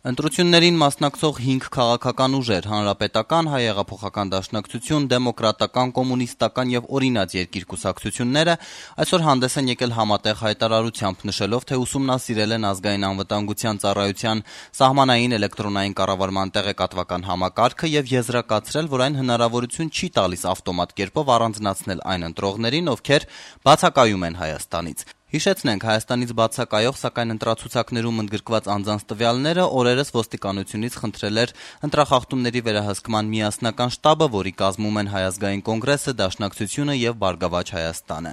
Ընտրություններին մասնակցող 5 քաղաքական ուժեր՝ Հանրապետական, Հայ հեղափոխական դաշնակցություն, Դեմոկրատական, Կոմունիստական եւ Օրինաց երկիր կուսակցությունները այսօր հանդես են եկել համատեղ հայտարարությամբ, նշելով, թե ուսումնասիրել են Ազգային անվտանգության ծառայության սահմանային էլեկտրոնային կառավարման տեղեկատվական համակարգը եւ եզրակացրել, որ այն հնարավորություն չի տալիս ավտոմատ կերպով առանձնացնել այն ընտրողներին, ովքեր բացակայում են Հայաստանից։ Հիշեցնենք, Հայաստանից բացակայող, սակայն ընտրացուցակներում ընդգրկված անձանց տվյալները օրերս ոստիկանությունից խնդրել էր ընտրախախտումների վերահսկման միասնական շտաբը, որի կազմում են Հայ ազգային կոնգրեսը, Դաշնակցությունը եւ Բարգավաճ Հայաստանը։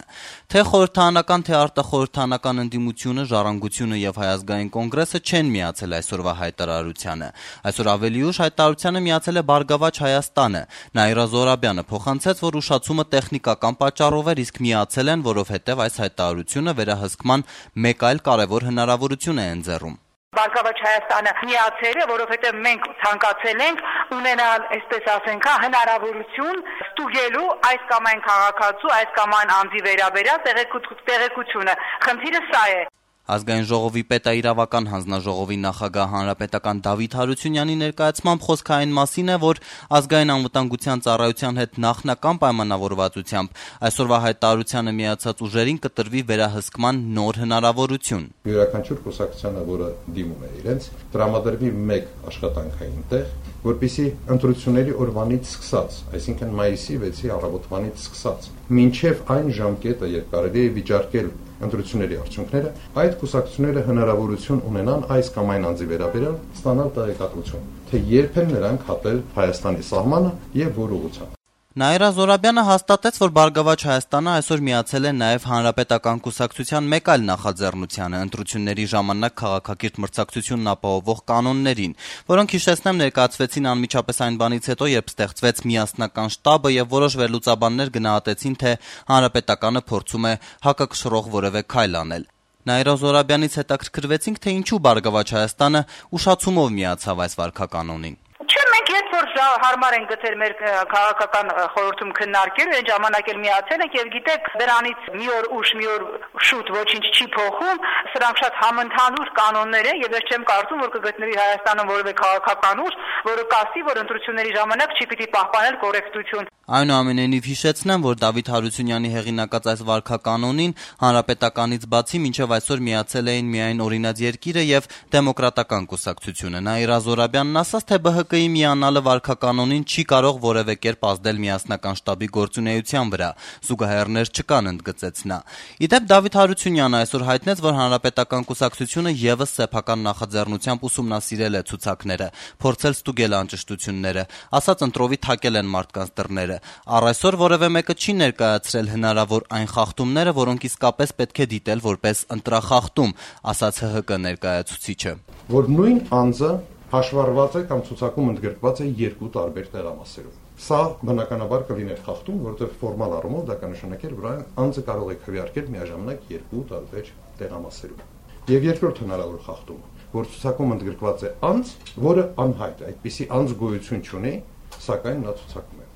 Թե խորհրդարանական, թե արտախորհրդարանական ընդդիմությունը, Ժառանգությունը եւ Հայ ազգային կոնգրեսը չեն միացել այսօրվա հայտարարությանը։ Այսօր ավելի ուշ հայտարարությանը միացել է Բարգավաճ Հայաստանը։ Նաիրա Զոհրաբյանը փոխանցեց, որ ուշացումը տեխնիկական պատճառով էր, իսկ միացել են, որովհետեւ այս հայտարարությունը վերահսկման մեկ այլ կարևոր հնարավորություն է ընձեռում։ Բարգավաճ Հայաստանը միացել է, որովհետև մենք ցանկացել ենք ունենալ, այսպես ասենք, հնարավորություն ստուգելու այս կամ այն քաղաքացու, այս կամ այն անձի վերաբերյալ տեղեկությունը։ Խնդիրը սա է։ Ազգային ժողովի պետաիրավական հանձնաժողովի նախագահ հանրապետական Դավիթ Հարությունյանի ներկայացմամբ խոսքը այն մասին է, որ Ազգային անվտանգության ծառայության հետ նախնական պայմանավորվածությամբ այսօրվա հայտարարությանը միացած ուժերին կտրվի վերահսկման նոր հնարավորություն։ Յուրաքանչյուր կուսակցությանը, որը դիմում է իրենց, տրամադրվի մեկ աշխատանքային տեղ, որպեսզի ընտրությունների օրվանից սկսած, այսինքն մայիսի 6-ի առավոտվանից սկսած, մինչև այն ժամկետը, երբ կարելի է վիճարկել ընտրությունների արդյունքները, այդ կուսակցությունները հնարավորություն ունենան այս կամ այն անձի վերաբերյալ ստանալ տեղեկատվություն, թե երբ են նրանք հատել Հայաստանի սահմանը եւ որ ուղղությամբ։ Նաիրա Զոհրաբյանը հաստատեց, որ Բարգավաճ Հայաստանը այսօր միացել է նաև Հանրապետական կուսակցության մեկ այլ նախաձեռնությանը՝ ընտրությունների ժամանակ քաղաքակիրթ մրցակցությունն ապահովող կանոններին, որոնք, հիշեցնեմ, ներկայացվեցին անմիջապես այն բանից հետո, երբ ստեղծվեց միասնական շտաբը եւ որոշ վերլուծաբաններ գնահատեցին, թե Հանրապետականը փորձում է հակակշռող որևէ քայլ անել։ Նաիրա Զոհրաբյանից հետաքրքրվեցինք, թե ինչու Բարգավաճ Հայաստանը ուշացումով միացավ այս վարքականոնին։ Երբ որ հարմար են գտել մեր քաղաքական խորհրդում քննարկել, այն ժամանակ էլ միացել ենք եւ գիտեք, դրանից մի օր ուշ, մի օր շուտ ոչինչ չի փոխում, սրանք շատ համընդհանուր կանոններ են եւ ես չեմ կարծում, որ կգտնվի Հայաստանում որևէ քաղաքական ուժ, որը կասի, որ ընտրությունների ժամանակ չի պիտի պահպանել կոռեկտություն։ Այնուամենայնիվ հիշեցնեմ, որ Դավիթ Հարությունյանի հեղինակած այս վարքականոնին Հանրապետականից բացի մինչև այսօր միացել էին միայն Օրինաց երկիրը եւ Դեմոկրատական կուսակցությունը։ Նաիրա Զոհրաբյանն ասաց, թե ԲՀԿ-ի միանալը վարքականոնին չի կարող որևէ կերպ ազդել միասնական շտաբի գործունեության վրա։ Զուգահեռներ չկան, ընդգծեց նա։ Իդեպ Դավիթ Հարությունյանը այսօր հայտնեց, որ Հանրապետական կուսակցությունը եւս սեփական նախաձեռնությամբ ուսումնասիրել է ցուցակները, փորձել ստուգել անճշտությունները, ասաց ընտրովի թակել են մարդկանց դռները։ Առ այսօր որևէ մեկը չի ներկայացրել հնարավոր այն խախտումները, որոնք իսկապես պետք է դիտել որպես ընտրախախտում, ասաց ՀՀԿ ներկայացուցիչը։ Որ նույն անձը հաշվառված է կամ ցուցակում ընդգրկված է երկու տարբեր տեղամասերով։ Սա բնականաբար կլիներ խախտում, որովհետև ֆորմալ առումով դա կնշանակեր, որ այն անձը կարող է քվեարկել միաժամանակ երկու տարբեր տեղամասերով։ Եվ երկրորդ հնարավոր խախտումը, որ ցուցակում ընդգրկված է անձ, որը անհայտ է, այդպիսի անձ գոյություն չունի, սակայն նա ցուցակում է։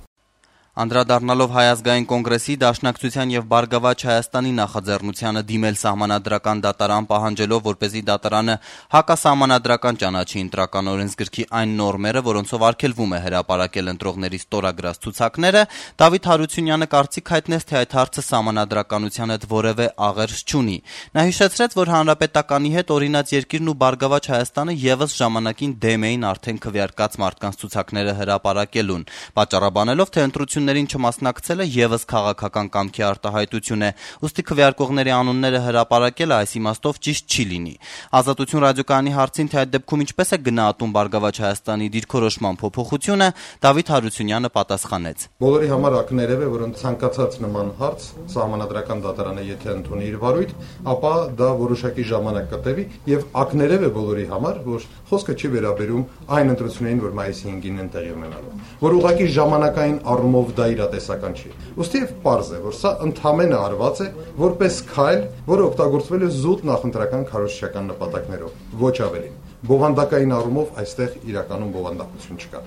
Անդրադառնալով Հայ ազգային կոնգրեսի, Դաշնակցության եւ Բարգավաճ Հայաստանի նախաձեռնությանը դիմել սահմանադրական դատարան պահանջելով, որպեսզի դատարանը հակասահմանադրական ճանաչի ընտրական օրենսգրքի այն նորմերը, որոնցով արգելվում է հրապարակել ընտրողների ստորագրած ցուցակները, Դավիթ Հարությունյանը կարծիք հայտնեց, թե այդ հարցը սահմանադրականության հետ որևէ աղերս չունի։ Նա հիշեցրեց, որ Հանրապետականի հետ Օրինաց երկիրն ու Բարգավաճ Հայաստանը եւս ժամանակին դեմ էին արդեն քվեարկած մարդկանց ցուցակները հրապարակելուն, պատճառաբանելով, թե ընտրություններին չմասնակցելը եւս քաղաքական կամքի արտահայտություն է, ուստի քվեարկողների անունները հրապարակելը այս իմաստով ճիշտ չի լինի։ Ազատություն ռադիոկայանի հարցին, թե այդ դեպքում ինչպես է գնահատում Բարգավաճ Հայաստանի դիրքորոշման փոփոխությունը, Դավիթ Հարությունյանը պատասխանեց. Բոլորի համար ակներև է, որ ցանկացած նման հարց սահմանադրական դատարանը եթե ընդունի իր վարույթ, ապա դա որոշակի ժամանակ կտևի եւ ակներև է բոլորի համար, որ խոսքը չի վերաբերում այն ընտրություններին, որ մայիսի 5-ին են տեղի ունենալու, որ ուղղակի ժամանակային առումով դա իրատեսական չի։ Ոստիվ պարզ է, որ սա ընդհանրապես արված է որպես քայլ, որը օգտագործվել է զուտ նախընտրական քարոզչական նպատակներով, ոչ ավելին։ Բովանդակային առումով այստեղ իրականում բովանդակություն չկա։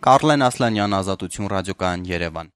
Կարլեն Ասլանյան, Ազատություն ռադիոկայան, Երևան։